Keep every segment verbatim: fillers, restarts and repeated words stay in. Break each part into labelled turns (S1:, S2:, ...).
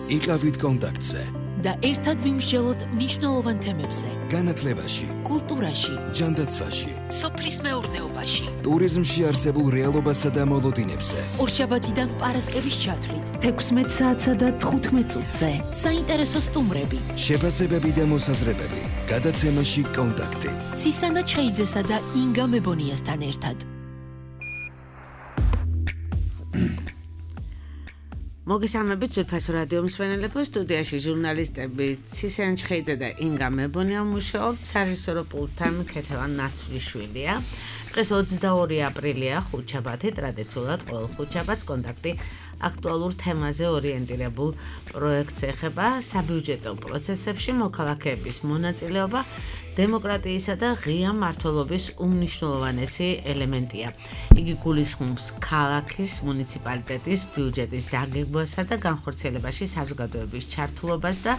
S1: იყავით კონტაქტზე
S2: და ერთად ვიმსჯელოთ მნიშვნელოვან თემებზე.
S1: განათლებაში,
S2: კულტურაში,
S1: ჯანდაცვაში,
S2: სოფლის მეურნეობაში,
S1: ტურიზმში არსებულ რეალობასა და მოლოდინებზე.
S2: ორშაბათიდან პარასკევის ჩათვლით,
S3: თექვსმეტ საათსა და თხუთმეტ წუთზე.
S2: საინტერესო სტუმრები,
S1: შეფასებები და მოსაზრებები. გადაცემაში კონტაქტი.
S2: ცისანა ჩხეიძესა და ინგა მებონიასთან ერთად.
S4: მოგესალმებით ძვირფასო რადიო მსმენელებო, სტუდიაში ჟურნალისტები ცისანა ჩხეიძე და ინგა მებონია მუშაობთ, სარეჟისორო პულტთან ქეთევან ნაცვლიშვილია. დღეს ოცდაორი აპრილია, ხუთშაბათი, ტრადიციულად ყოველ ხუთშაბათს კონტაქტი აქტუალურ თემაზე ორიენტირებულ პროექტს ეხება საბიუჯეტო პროცესებში მოქალაქეების მონაწილეობა დემოკრატიისა და ღია მმართველობის უმნიშვნელოვანესი ელემენტია. იგი გულისხმობს ქალაქის მუნიციპალიტეტის ბიუჯეტის დაგეგმვასა და განხორციელებაში საზოგადოების ჩართულობას და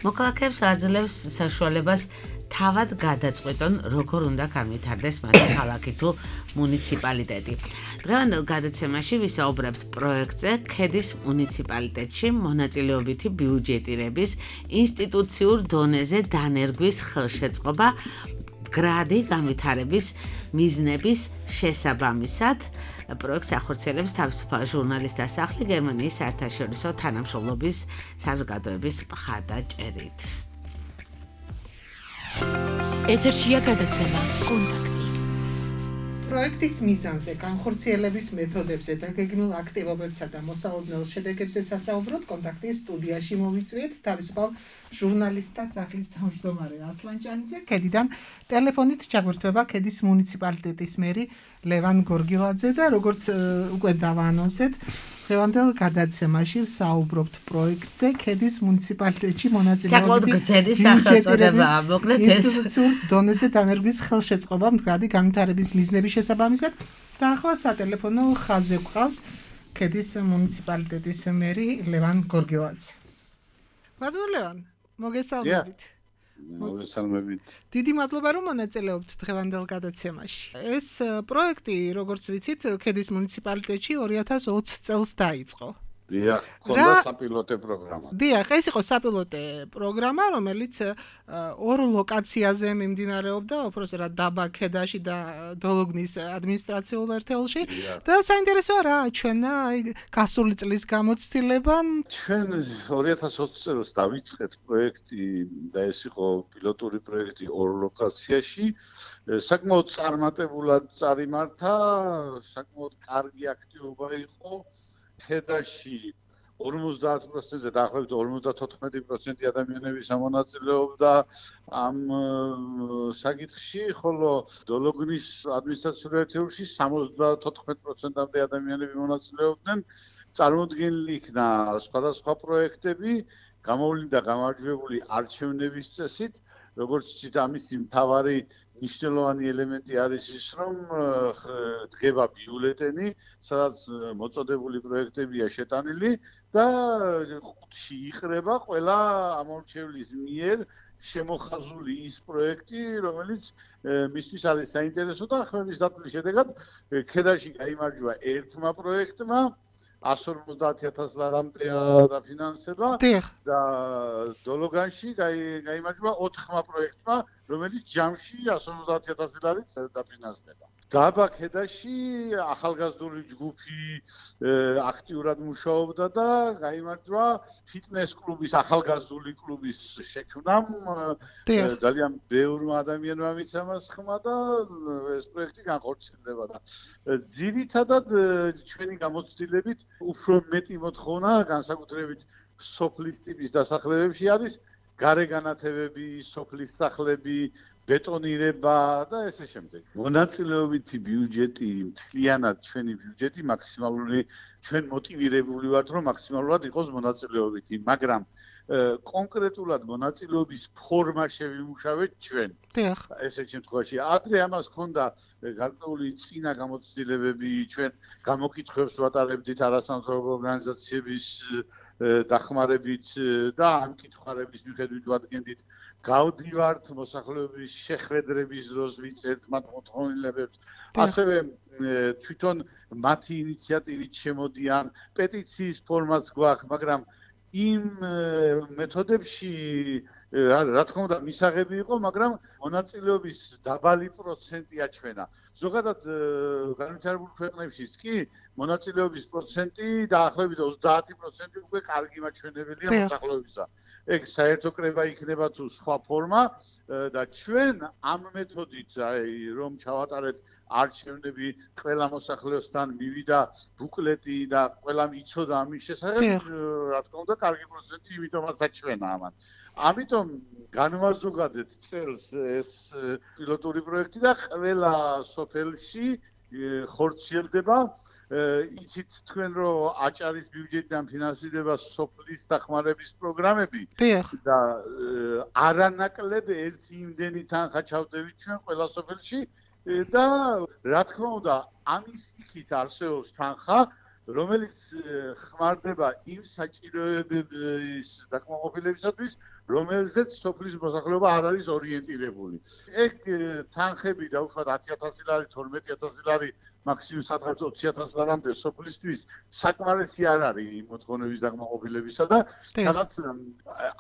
S4: მოქალაქეებს აძლევს საშუალებას თავად გადაწყვეტონ, როგორ უნდა განვითარდეს მათი ქალაქი თუ მუნიციპალიტეტი. დღევანდელ გადაცემაში ვისაუბრებთ პროექტზე ქედის მუნიციპალიტეტში მონაწილეობითი ბიუჯეტირების ინსტიტუციურ დონეზე დანერგვის ხელშეწყობა გრადი განვითარების მიზნების შესაბამისად. პროექტს ახორციელებს თავისუფალ ჟურნალისტთა სახლი გერმანიის საერთაშორისო თანამშრომლობის საზოგადოების მხარდაჭერით.
S2: ეთერშია გადაცემა კონტაქტი.
S5: პროექტის მიზანზე, განხორციელების მეთოდებზე და გეგმილ აქტივობებსა და მოსალოდნელ შედეგებზე სასაუბროთ კონტაქტის სტუდიაში მოვიწვიეთ თავისუფალ ჟურნალისტთა სახლის თავმჯდომარე ასლან ჭანიძე. ქედიდან ტელეფონით ჩაგვირთვება ქედის მუნიციპალიტეტის მერი ლევან გორგილაძე და როგორც უკვე დავაანონსეთ, დღევანდელ გადაცემაში ვსაუბრობთ პროექტზე ქედის მუნიციპალიტეტში მონაწილეობითი ინსტიტუციურ დონეზე დანერგვის ხელშეწყობა მდგრადი განვითარების მიზნების შესაბამისად და ახლა სატელეფონო ხაზზე გვყავს ქედის მუნიციპალიტეტის მერი ლევან გორგილაძე. ბატონო ლევან, მოგესალმებით.
S6: მოგესალმებით.
S5: დიდი მადლობა რომ მონაწილეობთ დღევანდელ გადაცემაში. ეს პროექტი, როგორც ვიცით, ქედის მუნიციპალიტეტში ორი ათას ოცი წელს დაიწყო.
S6: დიახ, ხონდა საპილოტე პროგრამა.
S5: დიახ, ეს იყო საპილოტე პროგრამა, რომელიც ორ ლოკაციაზე მიმდინარეობდა, უბრალოდ დაბა ქედაში და დოლოგნის ადმინისტრაციულ ერთეულში. და საინტერესოა რა, ჩვენ აი გასული წლის გამოცდილება.
S6: ჩვენ ორი ათას ოცი წელს დავიწყეთ პროექტი და ეს იყო პილოტური პროექტი ორ ლოკაციაში. საკმაოდ წარმატებულად წარიმართა, საკმაოდ კარგი აქტივობა იყო. ქედაში ორმოცდაათ პროცენტზე დაახლოებით ორმოცდათოთხმეტი პროცენტი ადამიანების ამონაწილეობდა ამ საკითხში, ხოლო დოლოგნის ადმინისტრაციულ ერთეულში სამოცდათოთხმეტ პროცენტამდე ადამიანები მონაწილეობდნენ. წარმოდგენილი იქნა სხვადასხვა პროექტები, გამოვლინდა გამარჯვებული არჩევნების წესით, როგორც იცით, ამისი მთავარი მნიშვნელოვანი ელემენტი არის ის, რომ დგება ბიულეტენი, სადაც მოწოდებული პროექტებია შეტანილი და ხუთში იყრება ყველა ამორჩევლის მიერ შემოხაზული ის პროექტი, რომელიც მისთვის არის საინტერესო და ხმების დათვლის შედეგად ქედაში გაიმარჯვა ერთმა პროექტმა ასი ორმოცდაათი ათას ლარამდე დაფინანსება და დოლოგანში გაიმარჯვა ოთხმა პროექტმა, რომელიც ჯამში ასი ორმოცდაათი ათასი ლარით დაფინანსდება. დაბა ქედაში ახალგაზრდული ჯგუფი აქტიურად მუშაობდა და გაიმარჯვა ფიტნეს კლუბის, ახალგაზრდული კლუბის შექმნამ. ძალიან ბევრმა ადამიანმა მიცემა მას ხმა და ეს პროექტი განხორციელდება და ძირითადად ჩვენი გამოცდილებით უფრო მეტი მოთხოვნა განსაკუთრებით სოფლის ტიპის დასახლებებში არის გარეგანათებები, სოფლის სახლები, ბეტონირება და ესე შემდეგ. მონაწილეობითი ბიუჯეტი, მთლიანად ჩვენი ბიუჯეტი მაქსიმალური, ჩვენ მოტივირებული ვართ, რომ მაქსიმალურად იყოს მონაწილეობითი, მაგრამ კონკრეტულად მონაწილეობის ფორმა შევიმუშავეთ ჩვენ. ესეთ შემთხვევაში ადრე ამას ჰქონდა გარკვეული წინა გამოცდილებები, ჩვენ გამოკითხვებს ვატარებდით არასამთავრობო ორგანიზაციების დახმარებით და ამ კითხვის მიხედვით ვადგენდით გავდივართ მოსახლეობის შეხვედრების დროს ვიწერთ მათ მოთხოვნილებებს. ასევე თვითონ მათი ინიციატივით შემოდიან, პეტიციის ფორმაც გვაქვს, მაგრამ იმ მეთოდებში რა თქმა უნდა მისაღები იყო, მაგრამ მონაწილეობის დაბალი პროცენტი აჩვენა. ზოგადად განვითარებულ ქვეყნებშიც კი მონაწილეობის პროცენტი დაახლოებით ოცდაათი პროცენტი უკვე კარგი მაჩვენებელია მოსახლეობისა. ეგ საერთო კრება იქნება თუ სხვა ფორმა და ჩვენ ამ მეთოდით აი რომ ჩავატარეთ არჩევნები ყველა მოსახლეოსთან მივიდა ბუკლეტი და ყველამ იცოდა ამის შესახებ, რა თქმა უნდა კარგი პროცენტი იმიტომაც აჩვენა ამან. ამიტომ განვაზოგადეთ წელს ეს პილოტური პროექტი და ყველა სოფელში ხორციელდება. იცით თქვენ რომ აჭარის ბიუჯეტიდან ფინანსირდება სოფლის დახმარების პროგრამები და არანაკლებ ერთი იმდენი თანხა ჩავდებით ჩვენ ყველა სოფელში და რა თქმა უნდა ამის იქით არსებობს თანხა რომელიც ხმარდება იმ საჭიროებების დაკმაყოფილებისათვის, რომელზეც სოფლის მოსახლეობა არ არის ორიენტირებული. ეგ თანხები დაუშვათ ათი ათასი ლარი, თორმეტი ათასი ლარი, მაქსიმუმ სადღაც ოცი ათასი ლარამდე სოფლისთვის საკმარისი არ არის იმ მოთხოვნების დაკმაყოფილებისა და სადაც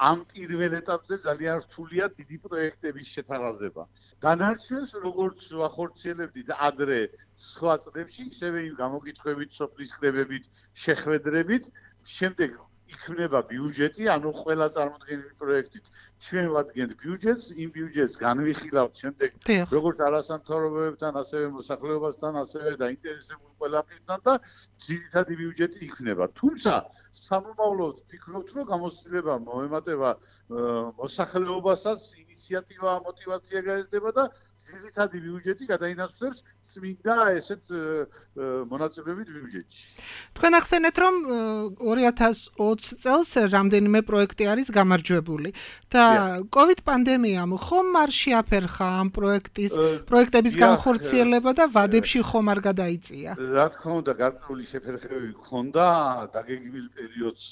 S6: ამ პირველ ეტაპზე ძალიან რთულია დიდი პროექტების შეთანხმება. განარჩევს როგორც ახორციელებდით ადრე სხვა წლებში, ისევე იმ გამოკითხვებით, სოფლის კრებებით, შეხვედრებით, შემდეგ იქნება ბიუჯეტი, ანუ ყველა წარმოდგენილი პროექტით ჩვენ ვადგენთ ბიუჯეტს, იმ ბიუჯეტს განვიხილავთ შემდეგ როგორც არასამთავრობოებთან, ასევე მოსახლეობასთან, ასევე დაინტერესებულ ყველა პირთან და ძირითადი ბიუჯეტი იქნება. თუმცა სამომავლოდ ვფიქრობთ, რომ გამოცდილება მოემატება მოსახლეობასაც, ინიციატივა, мотиваცია გაიზრდება და ძირითადი ბიუჯეტი გადაინაცვლებს წმინდა ესეთ მონაწილეობით ბიუჯეტში.
S5: თქვენ ახსენეთ, რომ ორი ათას ოცი წელს რამდენიმე პროექტი არის გამარჯვებული და COVID პანდემიამ ხომ არ შეაფერხა ამ პროექტის პროექტების განხორციელება და ვადებში ხომ არ გადაიწია?
S6: რა თქმა უნდა, გარკვეული შეფერხებები ჰქონდა, დაგეგმილ პერიოდს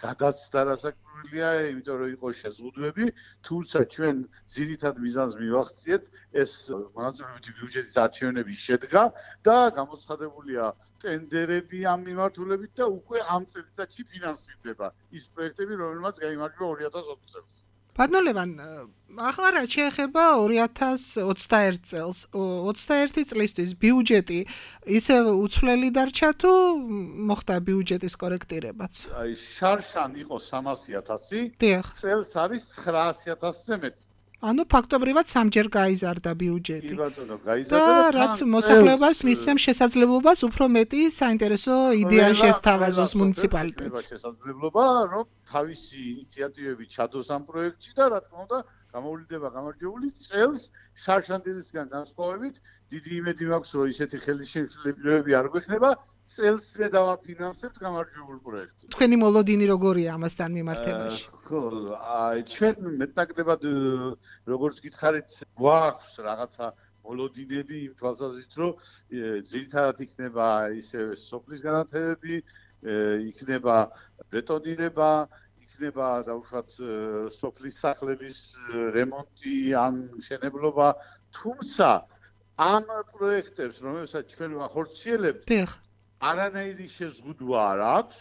S6: გადაცდა რასაკვირველია, იმიტომ რომ იყო შეზღუდვები, თუმცა ჩვენ ძირითად მიზანს მივახციეთ ეს მონაწილეობითი ბიუჯეტის არჩევნების შედგა და გამოცხადებულია ტენდერები ამ მიმართულებით და უკვე ამ წელიწადში ფინანსირდება ის პროექტები, რომელმაც გაიმარჯვა ორი ათას ოცი წელს.
S5: ბატონო ლევან, ახლა რა შეეხება ორი ათას ოცდაერთი წელს, ოცდაერთი წლისთვის ბიუჯეტი ისე უცვლელი დარჩა თუ მოხდა ბიუჯეტის კორექტირებაც?
S6: აი შარშან იყო სამასი ათასი, წელს არის ცხრაასი ათასზე მეტი.
S5: ანუ ფაქტობრივად სამჯერ გაიზარდა ბიუჯეტი.
S6: კი ბატონო, გაიზარდა
S5: და რაც მოსახლეობას მისცემს შესაძლებლობას უფრო მეტი საინტერესო იდეა შესთავაზოს მუნიციპალიტეტს.
S6: შესაძლებლობა, რომ თავისი ინიციატივები ჩადოს ამ პროექტში და რა თქმა უნდა, გამოვლინდება გამარჯვებული წელს შარშანდილისგან განსხვავებით, დიდი იმედი მაქვს, რომ ისეთი ხელისშემშლებები არ გვექნება. წელსვე დავაფინანსებთ გამარჯვებულ პროექტს.
S5: თქვენი მოლოდინი როგორია ამასთან მიმართებაში?
S6: ხო, აი ჩვენ მეტნაკლებად როგორც გითხარით, გვაქვს რაღაცა მოლოდინები იმ თვალსაზრისით, რომ ძირითადად იქნება ისე სოფლის განათებები, იქნება ბეტონირება, იქნება დაუშვათ სოფლის სახლების რემონტი ან მშენებლობა, თუმცა ამ პროექტებს, რომელსაც ჩვენ ვახორციელებთ, არანაირი შეზღუდვა არ აქვს.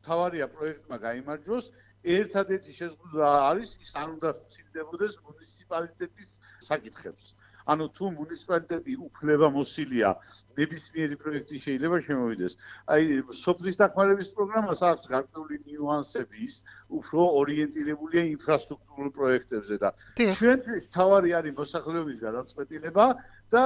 S6: თავარია პროექტმა გაიმარჯვოს. ერთადერთი შეზღუდვა არის ის არ უნდა სცილდებოდეს მუნიციპალიტეტის საკითხებს. ანუ თუ მუნიციპალიტეტი უფლებამოსილია ნებისმიერი პროექტი შეიძლება შემოვიდეს. აი სოფლის დახმარების პროგრამას აქვს გარკვეული ნიუანსები, ის უფრო ორიენტირებულია ინფრასტრუქტურულ პროექტებზე და ჩვენთვის თავარი არის მოსახლეობის გადაწყვეტილება და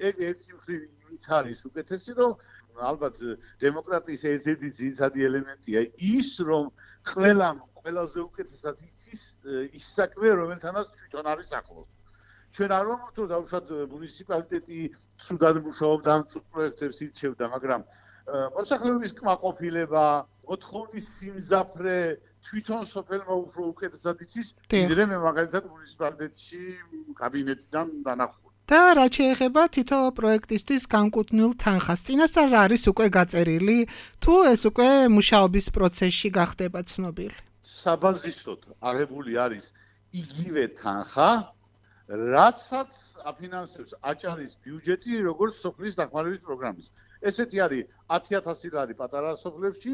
S6: ეგ ერთი მხრივ იმით არის უკეთესი, რომ ალბათ დემოკრატიის ერთ-ერთი ძირითადი ელემენტია ის, რომ ყველამ ყველაზე უკეთესად იცის ის საქმე, რომელთანაც თვითონ არის ახლოს. ჩვენ არ ვამბობთ, რომ დაუშვათ მუნიციპალიტეტი ცუდად მუშაობდა ამ წუთ პროექტებს ირჩევდა, მაგრამ მოსახლეობის კმაყოფილება, მოთხოვნის სიმძაფრე თვითონ სოფელმა უფრო უკეთესად იცის, ვიდრე მე მაგალითად მუნიციპალიტეტში კაბინეტიდან დანახული.
S5: და რა შეეხება თითო პროექტისთვის განკუთვნილ თანხას, წინასწარ რა არის უკვე გაწერილი, თუ ეს უკვე მუშაობის პროცესში გახდება ცნობილი?
S6: საბაზისოდ აღებული არის იგივე თანხა, რაცაც აფინანსებს აჭარის ბიუჯეტი როგორც სოფლის დახმარების პროგრამის. ესეთი არის ათი ათასი ლარი პატარა სოფლებში,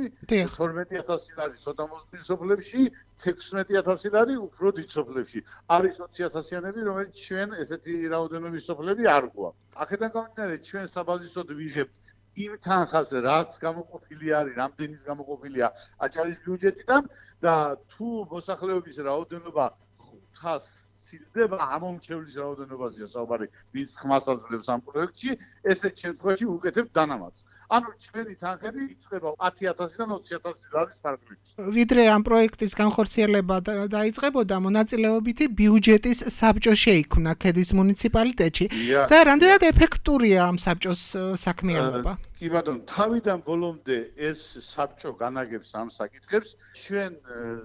S6: თორმეტი ათასი ლარი ცოტა მოზრდილი სოფლებში, თექვსმეტი ათასი ლარი უფრო დიდ სოფლებში. არის ოცი ათასიანები, რომელიც ჩვენ ესეთი რაოდენობის სოფლები არ გვაქვს. აქედან გამომდინარე, ჩვენ საბაზისოდ ვიღებთ იმ თანხას, რაც გამოყოფილი არის, რამდენის გამოყოფილია აჭარის ბიუჯეტიდან და თუ მოსახლეობის რაოდენობა ხუთას ცილდება ამომრჩევლის რაოდენობაზეა საუბარი, ვინც ხმას აძლევს ამ პროექტში, ესეთ შემთხვევაში უკეთებ დანამატს. ანუ ჩვენი თანხები იწყება ათი ათასიდან ოცი ათასი ლარის ფარგლებში.
S5: ვიდრე ამ პროექტის განხორციელება დაიწყებოდა, მონაწილეობითი ბიუჯეტის საბჭო შეიქმნა ქედის მუნიციპალიტეტში და რამდენად ეფექტურია ამ საბჭოს საქმიანობა?
S6: კი ბატონო, თავიდან ბოლომდე ეს საბჭო განაგებს ამ საკითხებს. ჩვენ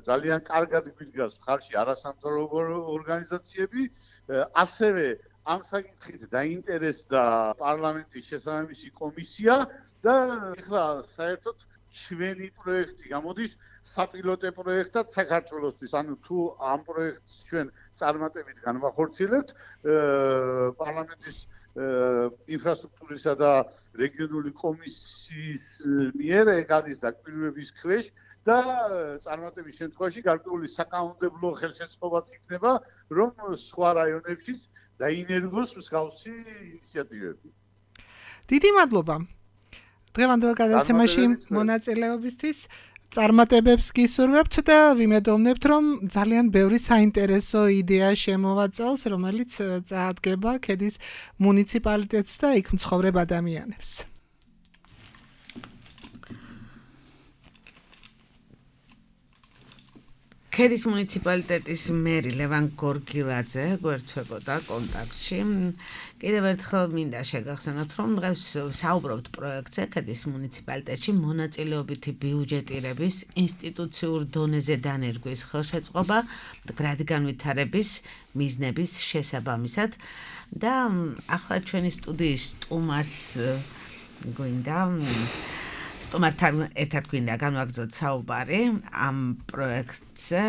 S6: ძალიან კარგად გვიდგას ხარში არასამთავრობო ორგანიზაციები, ასევე ამ საკითხით დაინტერესდა პარლამენტის შესაბამისი კომისია და ეხლა საერთოდ ჩვენი პროექტი გამოდის საპილოტე პროექტად საქართველოსთვის. ანუ თუ ამ პროექტს ჩვენ წარმატებით განვახორციელებთ, პარლამენტის ინფრასტრუქტურისა და რეგიონული კომისიის მიერ ეგ არის დაკვირვების ქვეშ და წარმატების შემთხვევაში გარკვეული საკანონმდებლო ხელშეწყობაც იქნება, რომ სხვა რაიონებშიც დაინერგოს მსგავსი ინიციატივები.
S5: დიდი მადლობა. დღევანდელ გადაცემაში მონაწილეობისთვის წარმატებებს გისურვებთ და ვიმედოვნებთ, რომ ძალიან ბევრი საინტერესო იდეა შემოვა წელს, რომელიც წაადგება ქედის მუნიციპალიტეტს და იქ მცხოვრებ ადამიანებს.
S4: ქედის მუნიციპალიტეტის მერი ლევან გორგილაძე გვერდთვებოდა კონტაქტში. კიდევ ერთხელ მინდა შეგახსენოთ, რომ დღეს საუბრობთ პროექტზე ქედის მუნიციპალიტეტში მონაწილეობითი ბიუჯეტირების ინსტიტუციურ დონეზე დანერგვის ხელშეწყობა მდგრადი განვითარების მიზნების შესაბამისად და ახლა ჩვენი სტუდიის სტუმარს გვინდა სტუმართან ერთად გვინდა განვაგრძოთ საუბარი ამ პროექტზე.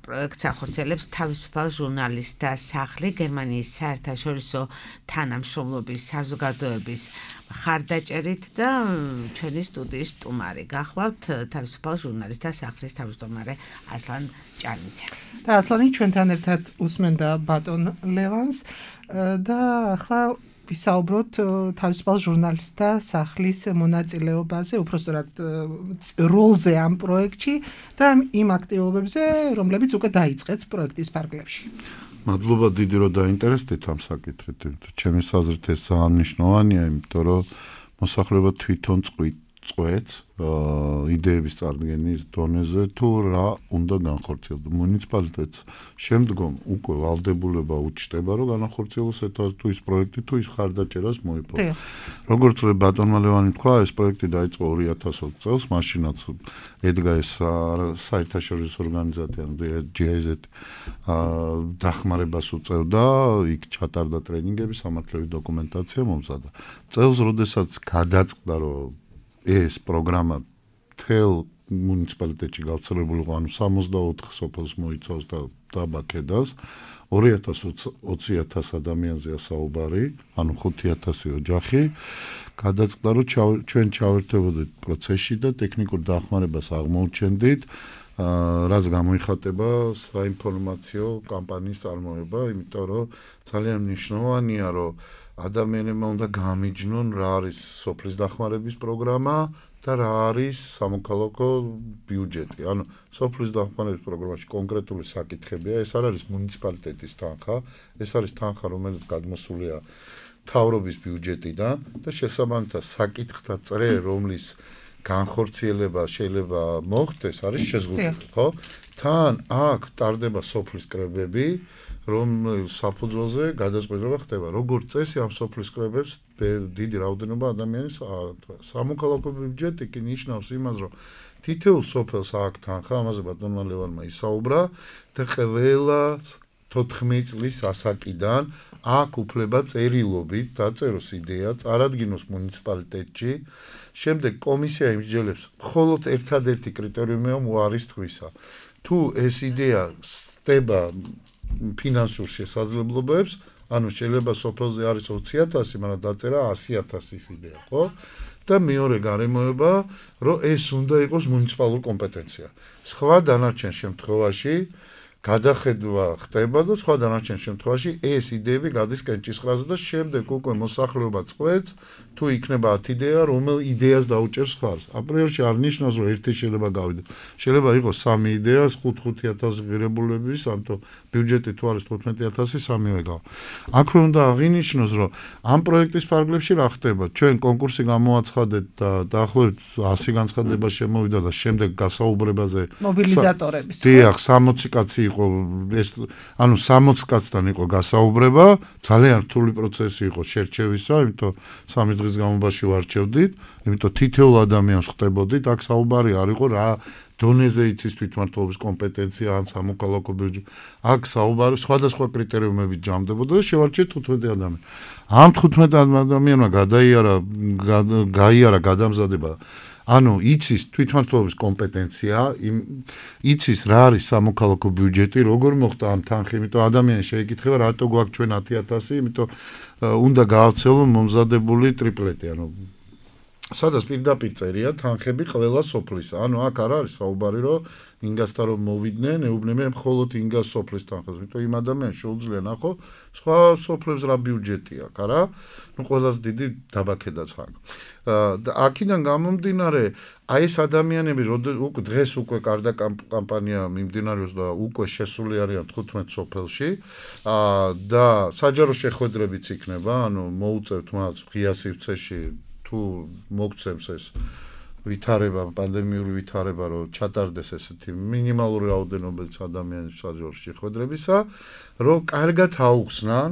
S4: პროექტს ახორციელებს თავისუფალ ჟურნალისტთა სახლი, გერმანიის საერთაშორისო თანამშრომლობის საზოგადოების მხარდაჭერით და ჩვენი სტუდიის სტუმარი გახლავთ თავისუფალ ჟურნალისტთა სახლის თავმჯდომარე ასლან ჭანიძე.
S5: და ასლანი ჩვენთან ერთად usmenda ბატონ ლევანს და ახლა ვისაუბროთ თავისუფალ ჟურნალისტთა სახლის მონაწილეობაზე, უпростоრად როლზე ამ პროექტში და იმ აქტივობებზე, რომლებიც უკვე დაიწყეთ პროექტის ფარგლებში.
S7: მადლობა დიდი რომ დაინტერესდით ამ საკითხით. ჩემი აზრით ეს ძალიან მნიშვნელოვანია, იმიტომ რომ მოსახლეობა თვითონ წყვეტს იდეების წარდგენის დონეზე თუ რა უნდა განხორციელდეს. მუნიციპალიტეტს შემდგომ უკვე ვალდებულება უჩნდება, რომ განახორციელოს თუ ის პროექტი, თუ ის ხარდაჭერას მოიპოვოს. როგორც ბატონმა ლევანი თქვა, ეს პროექტი დაიწყო ორი ათას ოცი წელს, მაშინაც ედგა ეს საერთაშორისო ორგანიზაცია ჯი აი ზეტ დახმარებას უწევდა, იქ ჩატარდა ტრენინგები, სამართლებრივი დოკუმენტაცია მომზადდა. წელს, როდესაც გადაწყდა, რომ ეს პროგრამა თელ მუნიციპალიტეტში გავრცელებული იყო, ანუ სამოცდაოთხ სოფელს მოიცავს და დაბა ქედას, ორი ათას ოცი ათას ადამიანზეა საუბარი, ანუ ხუთი ათასი ოჯახი. გადაწყდა, რომ ჩვენ ჩავერთებოდით პროცესში და ტექნიკურ დახმარებას აღმოუჩენდით, რაც გამოიხატება საინფორმაციო კამპანიის წარმოება, იმიტომ რომ ძალიან მნიშვნელოვანია, რომ ადამიანებმა უნდა გამიჯნონ რა არის სოფლის დახმარების პროგრამა და რა არის სამოქალაქო ბიუჯეტი. ანუ სოფლის დახმარების პროგრამაში კონკრეტული საკითხებია, ეს არ არის მუნიციპალიტეტის თანხა, ეს არის თანხა, რომელიც გადმოსულია მთავრობის ბიუჯეტიდან და შესაბამისად საკითხთა წრე, რომლის განხორციელება შეიძლება მოხდეს, არის შეზღუდული, ხო? თან აქ ტარდება სოფლის კრებები, რომ საფუძველზე გადაწყვეტილება ხდება. როგორც წესი ამ სოფლის კრებებს დიდი რაოდენობა ადამიანის სამოქალაქო ბიუჯეტი კი ნიშნავს იმას, რომ თითოეულ სოფელს აქვს თანხა, ამაზე ბატონმა ლევანმა ისაუბრა და ყველა თოთხმეტი წლის ასაკიდან აქვს უფლება წერილობით დაწეროს იდეა, წარადგინოს მუნიციპალიტეტში. შემდეგ კომისია იმსჯელებს მხოლოდ ერთადერთი კრიტერიუმია უარისთვისა. თუ ეს იდეა ხდება ფინანსურ შესაძლებლობებს, ანუ შეიძლება სოფელზე არის ოცი ათასი, მაგრამ დაწერა ასი ათასი იდეა, ხო? და მეორე გარემოება, რომ ეს უნდა იყოს მუნიციპალური კომპეტენცია. სხვა დანარჩენ შემთხვევაში გადახედვა ხდება და სხვა დანარჩენ შემთხვევაში ეს იდეები გადის კენჭისყრაზე და შემდეგ უკვე მოსახლეობა წყვეტს თუ იქნება ათი იდეა, რომელ იდეას დაუჭერს ხარს. აპრიორში არ ნიშნავს, რომ ერთი შეიძლება გავიდოს. შეიძლება იყოს სამი იდეა, ხუთი ათასი ღირებულების, ამიტომ ბიუჯეტი თუ არის თხუთმეტი ათასი, სამივე გავა. აქვე უნდა აღინიშნოს, რომ ამ პროექტის ფარგლებში რა ხდება. ჩვენ კონკურსი გამოაცხადეთ და დაახლოებით ასი განცხადება შემოვიდა და შემდეგ გასაუბრებაზე
S5: მობილიზატორების.
S7: დიახ, სამოცი კაცი იყო ეს ანუ სამოცი კაცთან იყო გასაუბრება, ძალიან რთული პროცესი იყო შერჩევისა, იმიტომ სამი დღის განმავლობაში ვარჩევდით, იმიტომ თითოეულ ადამიანს ხვდებოდით, აქ საუბარი არ იყო რა დონეზე იცის თვითმმართველობის კომპეტენცია ან სამოქალაქო ბიუჯეტი. აქ საუბარი სხვადასხვა კრიტერიუმებით ჯამდებოდა და შევარჩიეთ თხუთმეტი ადამიანი. ამ თხუთმეტ ადამიანმა გადაიარა გაიარა გადამზადება ანუ იცის თვითმმართველობის კომპეტენცია, იცის რა არის სამოქალაქო ბიუჯეტი, როგორ მოხდა ამ თანხი, იმიტომ ადამიანი შეეკითხება, რატო გვაქვს ჩვენ ათი ათასი, იმიტომ უნდა გაავრცელონ მომზადებული ტრიპლეტი, ანუ სადაც პირდაპირ წერია თანხები ყველა სოფლისა. ანუ აქ არ არის საუბარი, რომ ინგასთან რომ მოვიდნენ, ეუბნებიან მხოლოდ ინგას სოფლის თანხას, იმიტომ იმ ადამიანს შეუძლია ნახო, სხვა სოფლებს რა ბიუჯეტი აქვს, არა? ნუ ყველაზე დიდი დაბაქედაც აქ. და აქედან გამომდინარე, აი ეს ადამიანები უკვე დღეს უკვე კარდა კამპანია მიმდინარეობს და უკვე შესული არიან თხუთმეტ სოფელში და საჯარო შეხვედრებიც იქნება, ანუ მოუწევთ მათ ღია სივრცეში თუ მოგცემს ეს ვითარება, პანდემიური ვითარება, რომ ჩატარდეს ესეთი მინიმალური რაოდენობით ადამიანის საჯარო შეხვედრებისა, რომ კარგად აუხსნან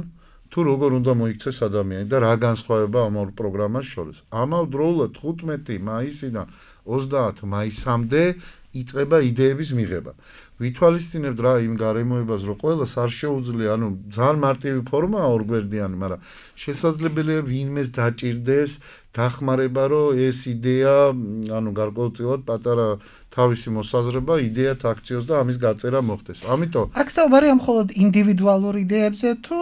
S7: თუ როგორ უნდა მოიქცეს ადამიანი და რა განსხვავება ამ ორ პროგრამას შორის. ამავდროულად თხუთმეტი მაისიდან ოცდაათი მაისამდე იწყება იდეების მიღება. ვითვალისწინებთ რა იმ გარემოებას, რომ ყველას არ შეუძლია, ანუ ძალიან მარტივი ფორმაა ორგვერდიანი, მაგრამ შესაძლებელია ვინმეს დაჭირდეს დახმარება, რომ ეს იდეა, ანუ გარკვეულწილად პატარა თავისი მოსაზრება იდეათ აქციოს და ამის გაწერა მოხდეს. ამიტომ
S5: აქ საუბარია მხოლოდ ინდივიდუალურ იდეებზე თუ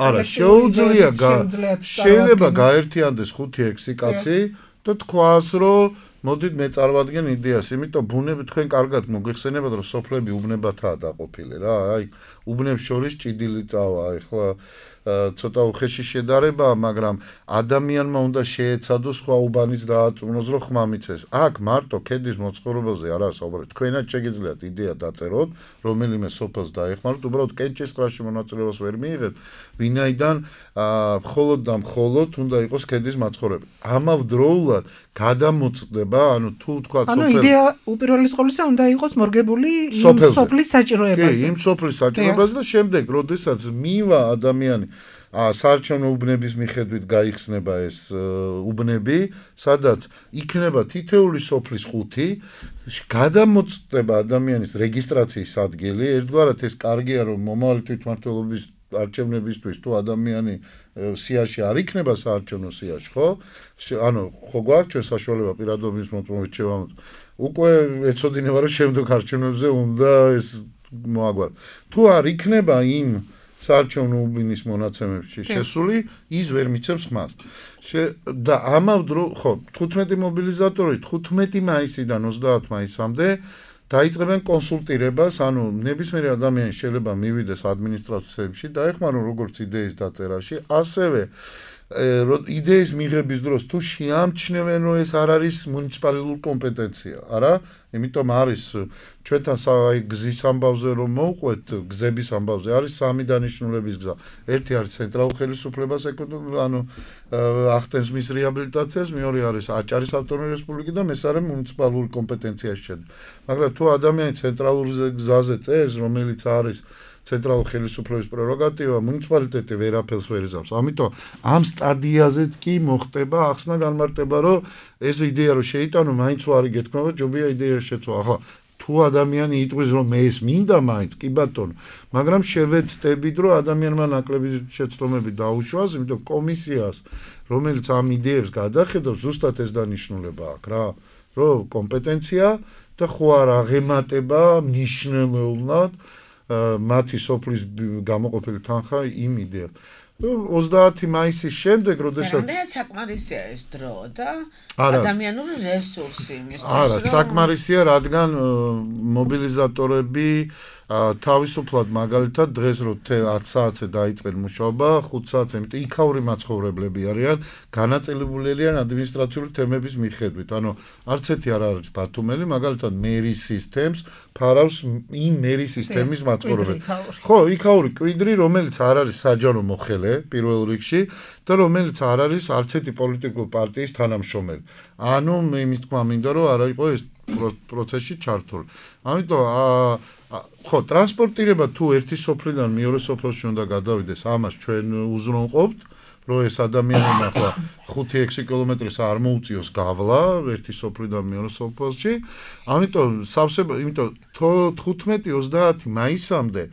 S7: არა, შეუძლია შეიძლება გაერთიანდეს ხუთი ექვსი კაცი და თქვას, რომ მოდით მე წარმოვადგენ იდეას, იმიტომ ბუნები თქვენ კარგად მოგეხსენებათ, რომ სოფლები უბნებათაა დაყოფილი რა, აი უბნებს შორის ჭიდილი წავა, ეხლა ცოტა უხეში შედარება, მაგრამ ადამიანმა უნდა შეეცადოს სხვა უბანის დააწუნოს, რომ ხმა მიცეს. აქ მარტო ქედის მოწყობაზე არა საუბარი. თქვენაც შეგიძლიათ იდეა დაწეროთ, რომელიმე სოფელს დაეხმაროთ, უბრალოდ კენჭისყრაში მონაწილეობას ვერ მიიღებთ, ვინაიდან მხოლოდ და მხოლოდ უნდა იყოს ქედის მაცხოვრებელი. ამავდროულად გადამოწდება, ანუ თუ თქვა
S5: სოფელი. ანუ იდეა უპირველეს ყოვლისა უნდა იყოს მორგებული იმ სოფლის საჭიროებაზე.
S7: კი, იმ სოფლის საჭიროებაზე და შემდეგ, როდესაც მივა ადამიანი საარჩევნო უბნების მიხედვით გაიხსნება ეს უბნები, სადაც იქნება თითეული სოფლის ხუთი, გადამოწდება ადამიანის რეგისტრაციის ადგილი, ერთგვარად ეს კარგია, რომ მომავალი თვითმმართველობის არჩევნებისთვის თუ ადამიანი სიაში არ იქნება საარჩევნო სიაში, ხო? ანუ ხო გვაქვს ჩვენ საშუალება პირადობის მოწმობით შევამოწმოთ. უკვე ეცოდინება, რომ შემდეგ არჩევნებზე უნდა ეს მოაგვაროს. თუ არ იქნება იმ საარჩევნო უბნის მონაცემებში შესული, ის ვერ მიცემს ხმას. და ამავდრო, ხო, თხუთმეტი მობილიზატორი თხუთმეტი მაისიდან ოცდაათი მაისამდე დაიწყებენ კონსულტირებას, ანუ ნებისმიერი ადამიანი შეიძლება მივიდეს ადმინისტრაციებში, დაეხმარონ როგორც იდეის დაწერაში, ასევე იდეის მიღების დროს თუ შეამჩნევენ, რომ ეს არ არის მუნიციპალური კომპეტენცია, არა? იმიტომ არის ჩვენთან გზის ამბავზე რომ მოვყვეთ, გზების ამბავზე არის სამი დანიშნულების გზა. ერთი არის ცენტრალურ ხელისუფლებას ეკუთვნის, ანუ ახდენს მის რეაბილიტაციას, მეორე არის აჭარის ავტონომიური რესპუბლიკა და მესამე მუნიციპალური კომპეტენციაში შედის. მაგრამ თუ ადამიანი ცენტრალურ გზაზე წერს, რომელიც არის ცენტრალურ ხელისუფლების პრეროგატივა, მუნიციპალიტეტი ვერაფერს ვერ იზამს. ამიტომ ამ სტადიაზეც კი მოხდება ახსნა განმარტება, რომ ეს იდეა რომ შეიტანო, მაინც ვარი გეთქმება, ჯობია იდეა შეცვა. ახლა თუ ადამიანი იტყვის, რომ მე ეს მინდა მაინც, კი ბატონო, მაგრამ შევეცდებით, რომ ადამიანმა ნაკლები შეცდომები დაუშვას, იმიტომ კომისიას, რომელიც ამ იდეებს გადახედავს, ზუსტად ეს დანიშნულება აქვს რა, რომ კომპეტენცია და ხო არ აღემატება მნიშვნელოვნად მათი სოფლის გამოყოფილი თანხა იმ იდეას. ოცდაათი მაისის შემდეგ, როდესაც
S4: რამდენად საკმარისია ეს დრო და ადამიანური რესურსი იმისთვის,
S7: არა, საკმარისია, რადგან მობილიზატორები თავისუფლად მაგალითად დღეს რო ათი საათზე დაიწყეს მუშაობა, ხუთ საათზე, იმიტომ იქაური მაცხოვრებლები არიან, განაწილებული არიან ადმინისტრაციული თემების მიხედვით. ანუ არც ერთი არ არის ბათუმელი, მაგალითად მერისის თემს ფარავს იმ მერისის თემის მაცხოვრებელი. ხო, იქაური კვიდრი, რომელიც არ არის საჯარო მოხელე პირველ რიგში და რომელიც არ არის არც ერთი პოლიტიკური პარტიის თანამშრომელი. ანუ იმის თქმა მინდა, რომ არ იყო ეს პროცესში ჩართული. ამიტომ ხო, ტრანსპორტირება თუ ერთი სოფლიდან მეორე სოფელში უნდა გადავიდეს, ამას ჩვენ უზრუნველყოფთ, რომ ეს ადამიანებმა ახლა ხუთი ექვსი კილომეტრის არ მოუწიოს გავლა ერთი სოფლიდან მეორე სოფელში. ამიტომ სავსება, იმიტომ თხუთმეტი ოცდაათი მაისამდე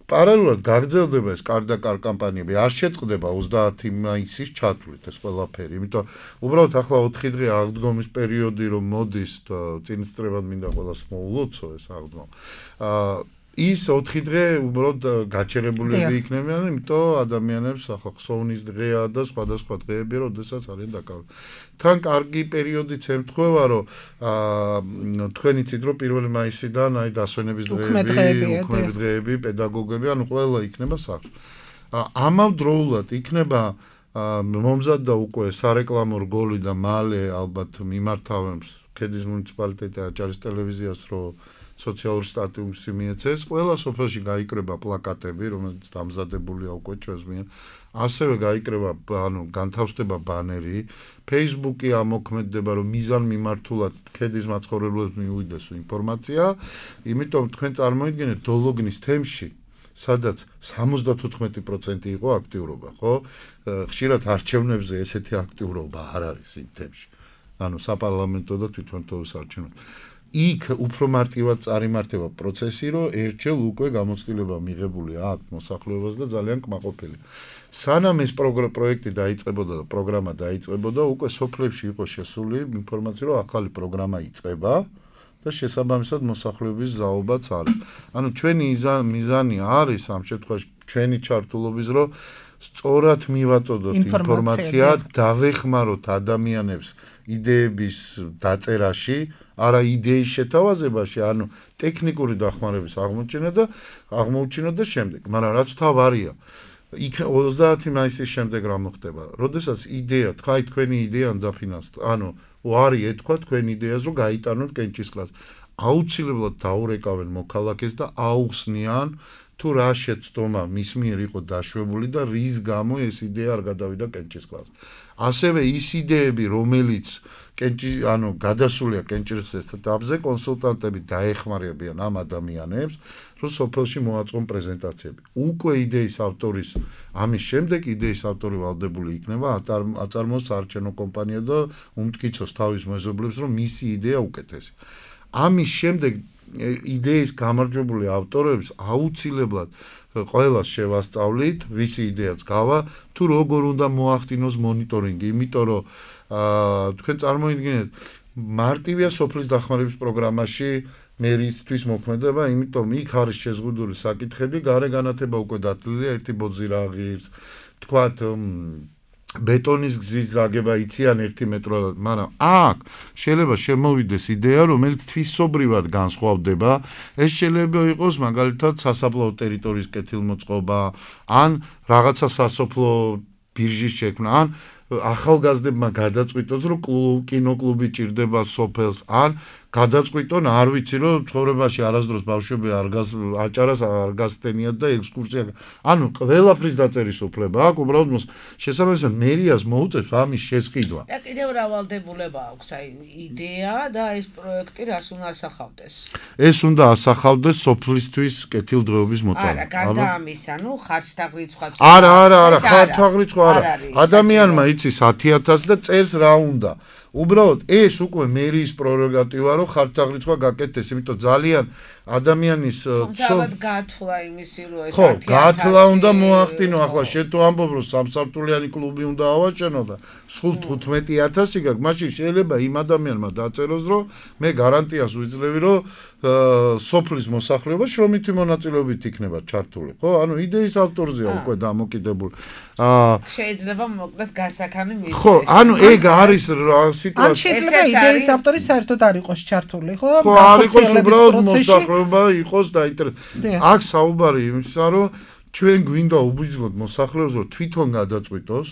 S7: პარალელურად გაგრძელდება ეს კარდაკარ კამპანიები, არ შეწყდება ოცდაათი მაისის ჩათვლით ეს ყველაფერი. იმიტომ უბრალოდ ახლა ოთხი დღე აღდგომის პერიოდი რომ მოდის და წინასწრებად მინდა ყველას მოულოცო ეს აღდგომა. აა ის ოთხი დღე უბრალოდ გაჩერებულები იქნებიან, იმიტომ ადამიანებს ახლა ხსოვნის დღეა და სხვადასხვა დღეები, როდესაც არიან დაკავებული. თან კარგი პერიოდიც ემთხვევა, რომ აა თქვენ იცით, რომ პირველი მაისიდან აი დასვენების დღეები, უქმები დღეები, პედაგოგები, ანუ ყველა იქნება სახლში. ამავდროულად იქნება მომზადდა უკვე სარეკლამო რგოლი და მალე ალბათ მიმართავენ ქედის მუნიციპალიტეტი აჭარის ტელევიზიას, რომ სოციალური სტატუსი მიეცეს, ყველა სოფელში გაიკრება პლაკატები, რომელიც დამზადებულია უკვე ჩვენს მიერ. ასევე გაიკრება, ანუ განთავსდება ბანერი, Facebook-ი ამოქმედდება, რომ მიზან მიმართულად ქედის მაცხოვრებლებს მიუვიდეს ინფორმაცია, იმიტომ თქვენ წარმოიდგინეთ დოლოგნის თემში, სადაც სამოცდათოთხმეტი პროცენტი იყო აქტიურობა, ხო? ხშირად არჩევნებზე ესეთი აქტიურობა არ არის იმ თემში. ანუ საპარლამენტო და თვითონ თოს არჩევნებში. იქ უფრო მარტივად წარიმართება პროცესი, რომ ერთხელ უკვე გამოცდილება მიღებული აქვს მოსახლეობას და ძალიან კმაყოფილი. სანამ ეს პროექტი დაიწყებოდა და პროგრამა დაიწყებოდა, უკვე სოფლებში იყო შესული ინფორმაცია, რომ ახალი პროგრამა იწყება და შესაბამისად მოსახლეობის ზაობაც არის. ანუ ჩვენი მიზანი არის ამ შემთხვევაში ჩვენი ჩართულობის, რომ სწორად მივაწოდოთ ინფორმაცია, დავეხმაროთ ადამიანებს იდეების დაწერაში, არა იდეის შეთავაზებაში, ანუ ტექნიკური დახმარების აღმოჩენა და აღმოუჩინა და შემდეგ. მაგრამ რაც თავარია, იქ ოცდაათი მაისის შემდეგ რა მოხდება? როდესაც იდეა, თქვა თქვენი იდეა დაფინანსდა, ანუ ვარი ეთქვა თქვენ იდეას, რომ გაიტანოთ კენჭისყრას. აუცილებლად დაურეკავენ მოქალაქეს და აუხსნიან თუ რა შეცდომა მის მიერ იყო დაშვებული და რის გამო ეს იდეა არ გადავიდა კენჭისყრას. ასევე ის იდეები, რომელიც კენჭი, ანუ გადასულია კენჭისყრის ეტაპზე, კონსულტანტები დაეხმარებიან ამ ადამიანებს, რომ სოფელში მოაწყონ პრეზენტაციები. უკვე იდეის ავტორის, ამის შემდეგ იდეის ავტორი ვალდებული იქნება აწარმოოს საარჩევნო კომპანია და უმტკიცოს თავის მეზობლებს, რომ მისი იდეა უკეთესია. ამის შემდეგ იდეის გამარჯვებული ავტორებს აუცილებლად ყველას შევასწავლით, ვისი იდეაც გავა, თუ როგორ უნდა მოახდინოს მონიტორინგი, იმიტომ რომ თქვენ წარმოიდგინეთ, მარტივია სოფლის დახმარების პროგრამაში მერისთვის მოქმედება, იმიტომ იქ არის შეზღუდული საკითხები, გარე განათება უკვე დათვლილია, ერთი ბოძი რა ღირს, თქვათ ბეტონის გზის ზაგება იციან ერთი მეტრო, მაგრამ აქ შეიძლება შემოვიდეს იდეა, რომელიც თვისობრივად განსხვავდება. ეს შეიძლება იყოს მაგალითად სასაფლაო ტერიტორიის კეთილმოწყობა, ან რაღაცა სასოფლო ბირჟის შექმნა, ან ახალგაზრდებმა გადაწყვიტოს, რომ კინოკლუბი ჭირდება სოფელს, ან გადაწყვიტონ, არ ვიცი, რომ ცხოვრებაში არასდროს ბავშვები არ გას აჭარას არ გასცდენიათ და ექსკურსია. ანუ ყველაფრის დაწერის უფლება აქვს, უბრალოდ შესაბამისად მერიას მოუწევს ამის შესყიდვა.
S4: და კიდევ რა ვალდებულება აქვს აი იდეა და ეს პროექტი რას უნდა ასახავდეს?
S7: ეს უნდა ასახავდეს სოფლისთვის კეთილდღეობის მოტანა.
S4: არა, გარდა ამისა, ნუ ხარჯთაღრიცხვაც.
S7: არა, არა, არა, ხარჯთაღრიცხვა არა. ადამიანმა იცის ათი ათასი და წერს რა უნდა. უბრალოდ ეს უკვე მერის პრეროგატივა რომ ხარჯაღრიცხვა გაკეთდეს, იმიტომ ძალიან ადამიანის
S4: თუმცა გათვლა იმისი რომ ეს
S7: ხო, გათვლა უნდა მოახდინო, ახლა შენ თუ ამბობ რომ სამსართულიანი კლუბი უნდა ავაჩენო და სულ თხუთმეტი ათასი გაქვს, მაშინ შეიძლება იმ ადამიანმა დაწეროს რომ მე გარანტიას ვიძლევი რომ სოფლის მოსახლეობა შრომითი მონაწილეობით იქნება ჩართული, ხო? ანუ იდეის ავტორზეა უკვე დამოკიდებული. აა
S4: შეიძლება მოკლედ გასაქანი მისცეს.
S7: ხო, ანუ ეგ არის სიტუაცია.
S5: ან შეიძლება იდეის ავტორი საერთოდ არ იყოს ჩართული, ხო?
S7: ხო, არ იყოს უბრალოდ მოსახლეობა იყოს დაინტერესებული. აქ საუბარი იმისა, რომ ჩვენ გვინდა უბიძგოთ მოსახლეობას, რომ თვითონ გადაწყვიტოს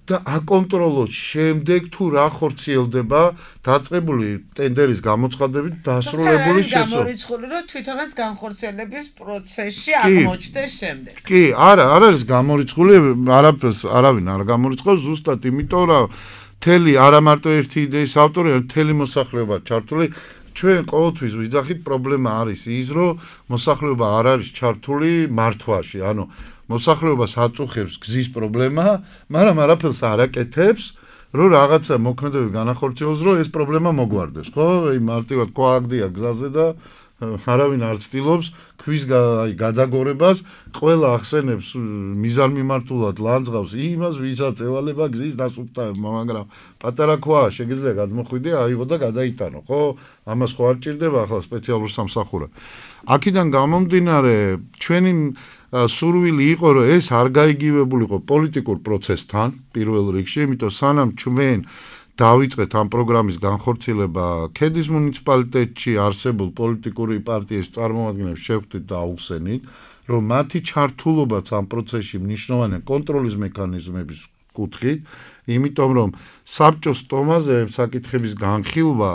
S7: და აკონტროლოს შემდეგ თუ რა ხორციელდება დაწყებული ტენდერის გამოცხადებით დასრულებული შესაძლებლობა.
S4: გამორიცხული რომ თვითონაც განხორციელების პროცესში აღმოჩნდეს შემდეგ.
S7: კი, არა, არ არის გამორიცხული, არაფერს არავინ არ გამორიცხავს, ზუსტად იმიტომ რომ თელი არა მარტო ერთი იდეის ავტორი, არამედ თელი მოსახლეობა ჩართული. ჩვენ ყოველთვის ვიძახით პრობლემა არის ის, რომ მოსახლეობა არ არის ჩართული მართვაში, ანუ მოსახლეობას აწუხებს გზის პრობლემა, მაგრამ არაფერს არ აკეთებს, რომ რაღაცა მოქმედებები განახორციელოს, რომ ეს პრობლემა მოგვარდეს, ხო? აი მარტივად ქვააგდია გზაზე და არავინ არ ცდილობს ქვის აი გადაგორებას, ყველა ახსენებს მიზანმიმართულად ლანძღავს იმას, ვისაც ევალება გზის დასუფთავება, მაგრამ პატარა ქვაა, შეგიძლია გადმოხვიდე, აიღო და გადაიტანო, ხო? ამას ხო არ ჭირდება ახლა სპეციალურ სამსახურად. აქედან გამომდინარე, ჩვენი სურვილი იყო, რომ ეს არ გაიგივებულიყო პოლიტიკურ პროცესთან, პირველ რიგში, იმიტომ სანამ ჩვენ დავიწყეთ ამ პროგრამის განხორციელება ქედის მუნიციპალიტეტში არსებულ პოლიტიკური პარტიის წარმომადგენლებს შევხვდით და აუხსენით, რომ მათი ჩართულობაც ამ პროცესში მნიშვნელოვანი კონტროლის მექანიზმების კუთხით, იმიტომ რომ საბჭოს სტომაზე საკითხების განხილვა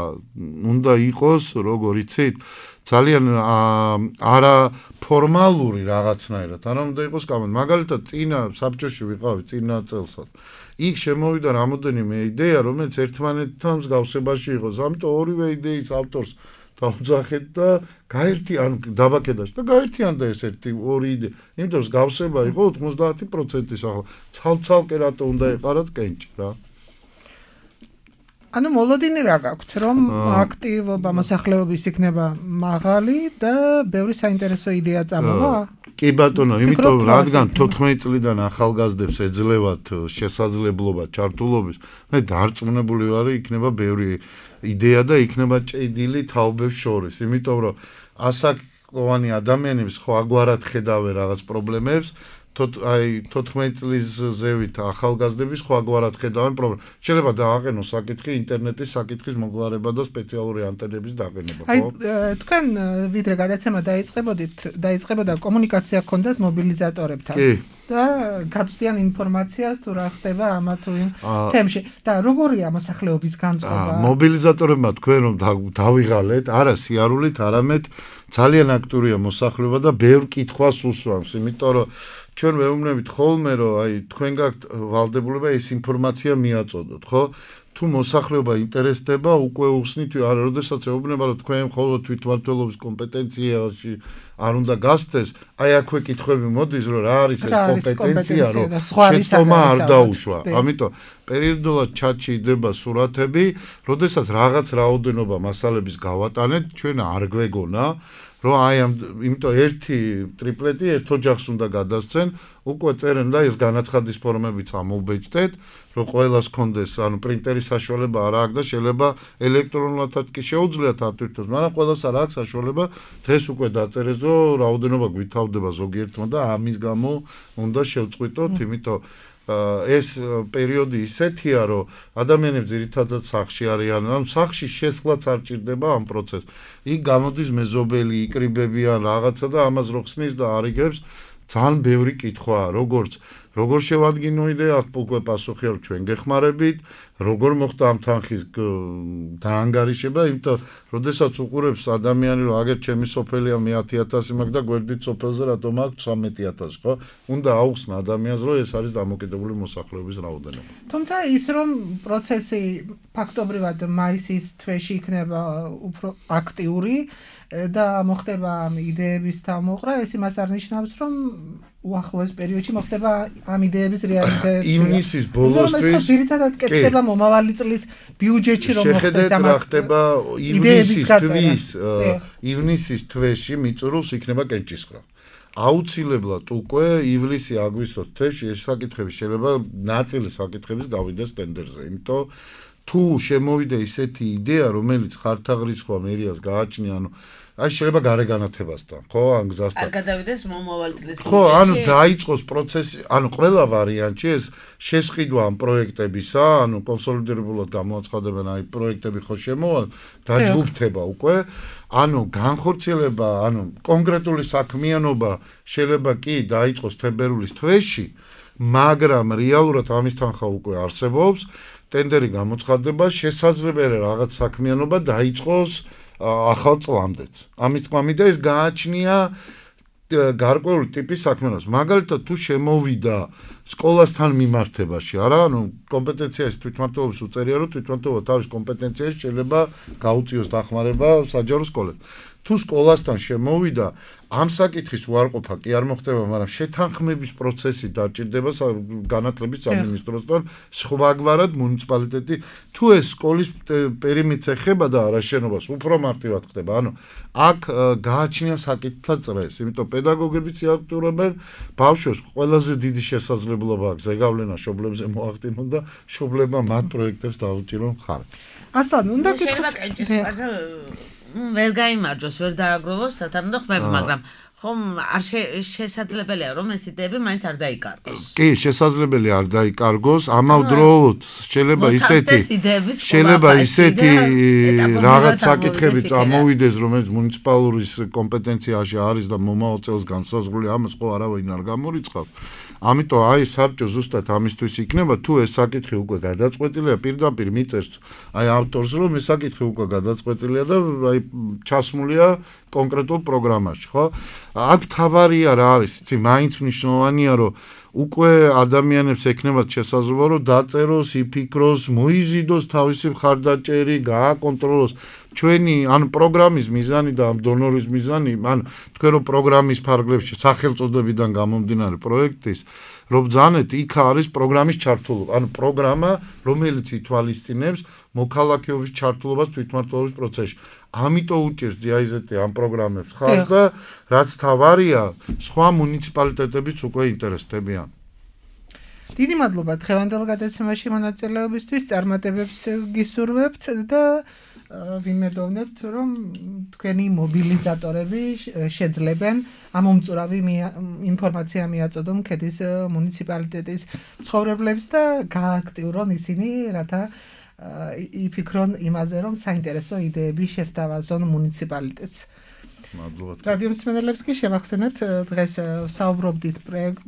S7: უნდა იყოს, როგორ იცით, ძალიან არა ფორმალური რაღაცნაირად, არა უნდა იყოს კამენ. მაგალითად, წინა საბჭოში ვიყავი წინა წელსაც. იქ შემოვიდა რამოდენიმე იდეა, რომელიც ერთმანეთთან მსგავსებაში იყოს. ამიტომ ორივე იდეის ავტორს დავძახეთ და გაერთიან დაბაკედაში და გაერთიანდა ეს ერთი ორი იდეა. იმიტომ მსგავსება იყო ოცდაათი პროცენტის ახლა. ცალ-ცალკე რატო უნდა ეყარათ კენჭი რა.
S5: ანუ მოლოდინი რა გაქვთ, რომ აქტივობა მოსახლეობის იქნება მაღალი და ბევრი საინტერესო იდეა წამოვა?
S7: კი ბატონო, იმიტომ რადგან თოთხმეტი წლიდან ახალგაზრდებს ეძლევათ შესაძლებლობა ჩართულობის, მე დარწმუნებული ვარ, იქნება ბევრი იდეა და იქნება ჭედილი თაობებს შორის, იმიტომ რომ ასაკოვანი ადამიანები სხვა გვარად ხედავენ რაღაც პრობლემებს, აი თოთხმეტი წლის ზევით ახალგაზრდები სხვაგვარად ხედავენ პრობლემას. შეიძლება დააყენოს საკითხი ინტერნეტის საკითხის მოგვარება და სპეციალური ანტენების დაყენება, ხო?
S5: აი თქვენ ვიდრე გადაცემა დაიწყებოდით, დაიწყებოდა კომუნიკაცია გქონდათ მობილიზატორებთან.
S7: კი.
S5: და გაცდიან ინფორმაციას თუ რა ხდება ამა თუ იმ თემში და როგორია მოსახლეობის განწყობა?
S7: მობილიზატორებმა თქვენ რომ დავიღალეთ, არა სიარულით, არამედ ძალიან აქტიურია მოსახლეობა და ბევრ კითხვას უსვამს, იმიტომ რომ ჩვენ ვეუბნებით ხოლმე რომ აი თქვენ გაქვთ ვალდებულება ეს ინფორმაცია მიაწოდოთ, ხო? თუ მოსახლეობა ინტერესდება, უკვე უხსნით არა, როდესაც ეუბნება რომ თქვენ მხოლოდ თვითმმართველობის კომპეტენციაში არ უნდა გასცეს, აი აქვე კითხვები მოდის, რომ რა არის ეს კომპეტენცია, რომ შეცდომა არ დაუშვა. ამიტომ პერიოდულად ჩატში იდება სურათები, როდესაც რაღაც რაოდენობა მასალების გავატანეთ, ჩვენ არ გვეგონა რომ აი ამ იმიტომ ერთი ტრიპლეტი ერთ ოჯახს უნდა გადასცენ, უკვე წერენ და ეს განაცხადის ფორმებიც ამოუბეჭდეთ, რომ ყველას კონდეს, ანუ პრინტერის საშუალება არ აქვს და შეიძლება ელექტრონულადაც კი შეუძლიათ ატვირთოს, მაგრამ ყველას არ აქვს საშუალება, დღეს უკვე დაწერეს, რომ რაოდენობა გვითავდება ზოგიერთმა და ამის გამო უნდა შევწყვიტოთ, იმიტომ ეს პერიოდი ისეთია, რომ ადამიანები ძირითადად სახლში არიან, ანუ სახლში შესვლაც არ ჭირდება ამ პროცესს. იქ გამოდის მეზობელი, იკრიბებიან რაღაცა და ამას რო ხსნის და არიგებს, ძალიან ბევრი კითხვაა, როგორც როგორ შევადგინო იდეა, აქ უკვე პასუხი აქვს ჩვენ გეხმარებით, როგორ მოხდა ამ თანხის დაანგარიშება, იმიტომ როდესაც უყურებს ადამიანი, რომ აგერ ჩემი სოფელია მე ათი ათასი მაქვს და გვერდით სოფელზე რატომ აქვს ცხრამეტი ათასი, ხო? უნდა აუხსნა ადამიანს, რომ ეს არის დამოკიდებული მოსახლეობის რაოდენობა.
S5: თუმცა ის რომ პროცესი ფაქტობრივად მაისის თვეში იქნება უფრო აქტიური და მოხდება ამ იდეების თავმოყრა, ეს იმას არ ნიშნავს, რომ უახლოეს პერიოდში მოხდება ამ იდეების რეალიზაცია.
S7: ივნისის ბოლოსთვის
S5: ეს ძირითადად კეთდება მომავალი წლის ბიუჯეტში რომ
S7: მოხდეს ამ ხდება ივნისის თვის ივნისის თვეში მიწურულს იქნება კენჭისყრა. აუცილებლად უკვე ივლისი აგვისტოს თვეში ეს საკითხები შეიძლება ნაწილი საკითხების გავიდეს ტენდერზე. იმიტომ თუ შემოვიდა ისეთი იდეა რომელიც ხართაღრიცხვა მერიას გააჩნია, ანუ აი შეიძლება გარეგანათებასთან, ხო, ან გზასთან.
S4: არ გადავიდეს მომავალ წლის ბიუჯეტში.
S7: ხო, ანუ დაიწყოს პროცესი, ანუ ყველა ვარიანტი ეს შესყიდვა ამ პროექტებისა, ანუ კონსოლიდირებულად გამოაცხადებენ აი პროექტები ხო შემოვალ, დაჯგუფდება უკვე, ანუ განხორციელება, ანუ კონკრეტული საქმიანობა შეიძლება კი დაიწყოს თებერვლის თვეში, მაგრამ რეალურად ამის თანხა უკვე არსებობს, ტენდერი გამოცხადდება, შესაძლებელია რაღაც საქმიანობა დაიწყოს ახალ წლამდეც. ამის თქმა მინდა ეს გააჩნია გარკვეული ტიპის საქმიანობას. მაგალითად თუ შემოვიდა სკოლასთან მიმართებაში, არა, ანუ კომპეტენციის თვითმმართველობის უწერია, რომ თვითმმართველობა თავის კომპეტენციაში შეიძლება გაუწიოს დახმარება საჯარო სკოლებს. თუ სკოლასთან შემოვიდა, ამ საკითხის უარყოფა კი არ მოხდება, მაგრამ შეთანხმების პროცესი დაჭირდება განათლების სამინისტროსთან, სხვაგვარად მუნიციპალიტეტი თუ ეს სკოლის პერიმეტრს ეხება და არა შენობას, უფრო მარტივად ხდება. ანუ აქ გააჩნია საკითხთა წრეს, იმიტომ პედაგოგებიც იაქტურებენ, ბავშვებს ყველაზე დიდი შესაძლებლობა აქვს ზეგავლენა შობლებზე მოახდინონ და შობლებმა მათ პროექტებს დაუჭირონ ხარ.
S5: ასლან, უნდა
S4: გიქხოთ კენჭისყრაზე ვერ გაიმარჯოს, ვერ დააგროვოს სათანადო ხმები, მაგრამ ხომ არ შესაძლებელია რომ ეს იდეები მაინც არ დაიკარგოს.
S7: კი, შესაძლებელია არ დაიკარგოს, ამავდროულად შეიძლება ისეთი შეიძლება ისეთი რაღაც საკითხები წამოვიდეს, რომელიც მუნიციპალურის კომპეტენციაში არის და მომავალ წელს განსაზღვრული, ამას ხო არავინ არ გამორიცხავს. ამიტომ აი საბჭო ზუსტად ამისთვის იქნება, თუ ეს საკითხი უკვე გადაწყვეტილია, პირდაპირ მიწერს აი ავტორს, რომ ეს საკითხი უკვე გადაწყვეტილია და აი ჩასმულია კონკრეტულ პროგრამაში, ხო? აქ თავარია რა არის, იცი, მაინც მნიშვნელოვანია, რომ უკვე ადამიანებს ექნებათ შესაძლებლობა, რომ დაწეროს, იფიქროს, მოიზიდოს თავისი მხარდაჭერი, გააკონტროლოს ჩვენი ან პროგრამის მიზანი და ამ დონორის მიზანი, ან თქვენ რომ პროგრამის ფარგლებში სახელწოდებიდან გამომდინარე პროექტის რომ ბრძანეთ, იქ არის პროგრამის ჩართულობა, ანუ პროგრამა, რომელიც ითვალისწინებს მოქალაქეობის ჩართულობას თვითმმართველობის პროცესში. ამიტომ უჭირს ჯაიზეტი ამ პროგრამებს ხალხს და რაც თავარია, სხვა მუნიციპალიტეტებიც უკვე ინტერესდებიან.
S5: დიდი მადლობა დღევანდელ გადაცემაში მონაწილეობისთვის, წარმატებებს გისურვებთ და ვიმედოვნებთ, რომ თქვენი მობილიზატორები შეძლებენ ამომწურავი ინფორმაცია მიაწოდონ ქედის მუნიციპალიტეტის მცხოვრებლებს და გააქტიურონ ისინი, რათა იფიქრონ იმაზე, რომ საინტერესო იდეები შესთავაზონ მუნიციპალიტეტს.
S7: მადლობა.
S5: რადიო მსმენელებს კი შევახსენებთ, დღეს საუბრობდით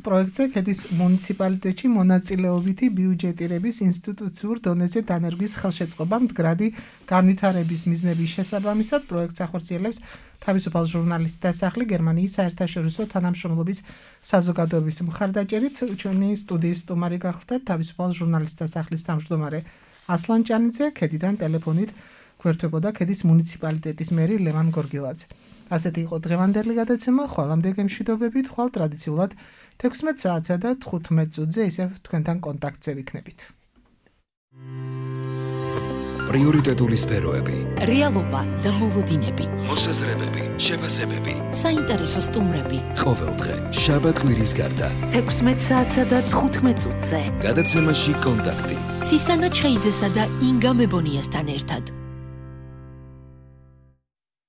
S5: პროექტზე ქედის მუნიციპალიტეტში მონაწილეობითი ბიუჯეტირების ინსტიტუციურ დონეზე დანერგვის ხელშეწყობა მდგრადი განვითარების მიზნების შესაბამისად პროექტს ახორციელებს თავისუფალ ჟურნალისტთა სახლი გერმანიის საერთაშორისო თანამშრომლობის საზოგადოების მხარდაჭერით. ჩვენი სტუდიის სტუმარი გახლდათ თავისუფალ ჟურნალისტთა სახლის თავმჯდომარე ასლან ჭანიძე, ქედიდან ტელეფონით გვერდებოდა ქედის მუნიციპალიტეტის მერი ლევან გორგილაძე. ასეთი იყო დღევანდელი გადაცემა, ხვალამდე გემშვიდობებით, ხვალ ტრადიციულად თექვსმეტ საათსა და თხუთმეტ წუთზე ისევ თქვენთან კონტაქტზე ვიქნებით.
S1: პრიორიტეტული სფეროები,
S2: რეალობა და მოლოდინები,
S1: მოსაზრებები, შეფასებები,
S2: საინტერესო სტუმრები.
S1: ყოველდღე, შაბათ-კვირის გარდა,
S3: თექვსმეტ საათსა და თხუთმეტ წუთზე.
S1: გადაცემაში კონტაქტი.
S2: ცისანა ჩხეიძესა და ინგა მებონიასთან ერთად.